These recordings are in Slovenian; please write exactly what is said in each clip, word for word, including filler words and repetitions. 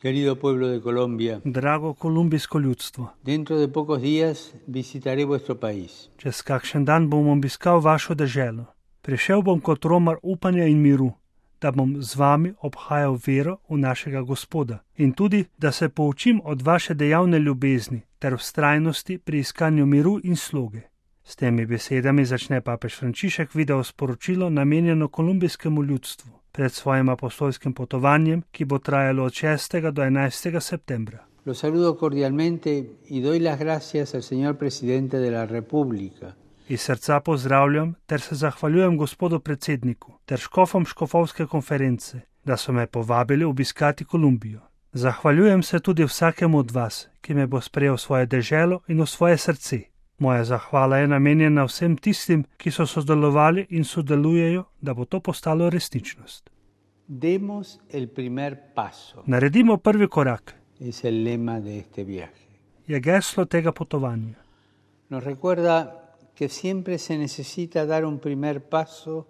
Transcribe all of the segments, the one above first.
Querido pueblo de Colombia, Drago kolumbijsko ljudstvo, dentro de pocos días visitaré vuestro país. čez kakšen dan bom obiskal vašo deželo. Prišel bom kot romar upanja in miru, da bom z vami obhajal vero v našega Gospoda in tudi, da se poučim od vaše dejavne ljubezni ter vztrajnosti pri iskanju miru in sloge. S temi besedami začne papež Frančišek video sporočilo namenjeno kolumbijskemu ljudstvu pred svojim apostolskim potovanjem, ki bo trajalo od šestega do enajstega septembra. Los saludo cordialmente y doy las gracias al señor presidente de la República. Iz srca pozdravljam ter se zahvaljujem gospodu predsedniku ter škofom škofovske konference, da so me povabili obiskati Kolumbijo. Zahvaljujem se tudi vsakemu od vas, ki me bo sprejel v svoje deželo in v svoje srce. Moja zahvala je namenjena vsem tistim, ki so sodelovali in sodelujejo, da bo to postalo resničnost. Demos el primer paso. Naredimo prvi korak. Es el lema de este viaje. Je geslo tega potovanja. Nos recuerda que siempre se necesita dar un primer paso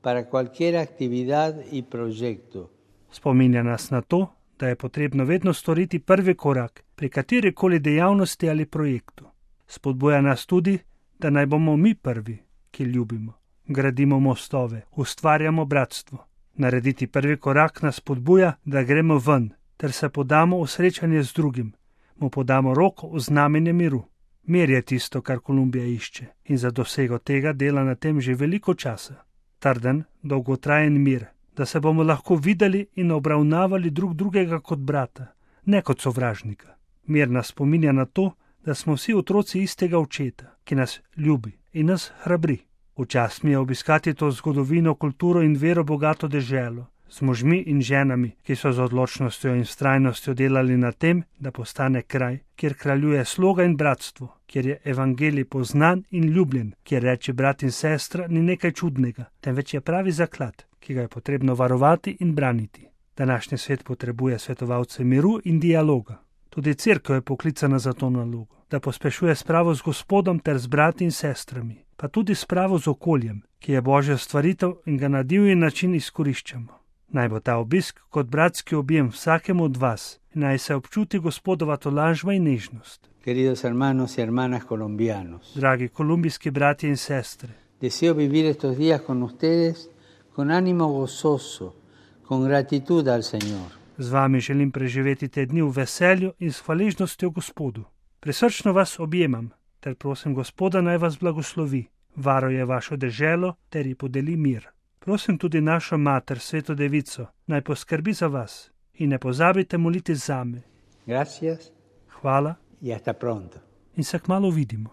para cualquier actividad y proyecto. Spominja nas na to, da je potrebno vedno storiti prvi korak pri katerikoli dejavnosti ali projektu. Spodbuja nas tudi, da naj bomo mi prvi, ki ljubimo, gradimo mostove, ustvarjamo bratstvo. Narediti prvi korak nas spodbuja, da gremo ven, ter se podamo v srečanje z drugim, mu podamo roko v znamenje miru. Mir je tisto, kar Kolumbija išče in za dosego tega dela na tem že veliko časa. Trden, dolgotrajen mir, da se bomo lahko videli in obravnavali drug drugega kot brata, ne kot sovražnika. Mir nas spominja na to, da smo vsi otroci istega očeta, ki nas ljubi in nas hrabri. Včas mi je obiskati to zgodovino, kulturo in vero bogato deželo, z možmi in ženami, ki so z odločnostjo in vztrajnostjo delali na tem, da postane kraj, kjer kraljuje sloga in bratstvo, kjer je evangelij poznan in ljubljen, kjer reči brat in sestra ni nekaj čudnega, temveč je pravi zaklad, ki ga je potrebno varovati in braniti. Današnji svet potrebuje svetovalce miru in dialoga. Tudi cerkev je poklicana za to nalogo, da pospešuje spravo z Gospodom ter z brati in sestrami, pa tudi spravo z okoljem, ki je Božja stvaritev in ga na divji način izkoriščamo. Naj bo ta obisk kot bratski objem vsakemu od vas in naj se občuti Gospodova tolažba in nežnost. Queridos hermanos y hermanas colombianos, Dragi kolumbijski bratje in sestre, deseo vivir estos días con ustedes con ánimo gozoso, con gratitud al Señor. z vami želim preživeti te dni v veselju in s hvaležnostjo Gospodu. Prisrčno vas objemam ter prosim Gospoda naj vas blagoslovi, varuje vašo deželo ter ji podeli mir. Prosim tudi našo mater, Sveto Devico, naj poskrbi za vas in ne pozabite moliti zame. Gracias Hvala y hasta pronto. in se kmalu vidimo.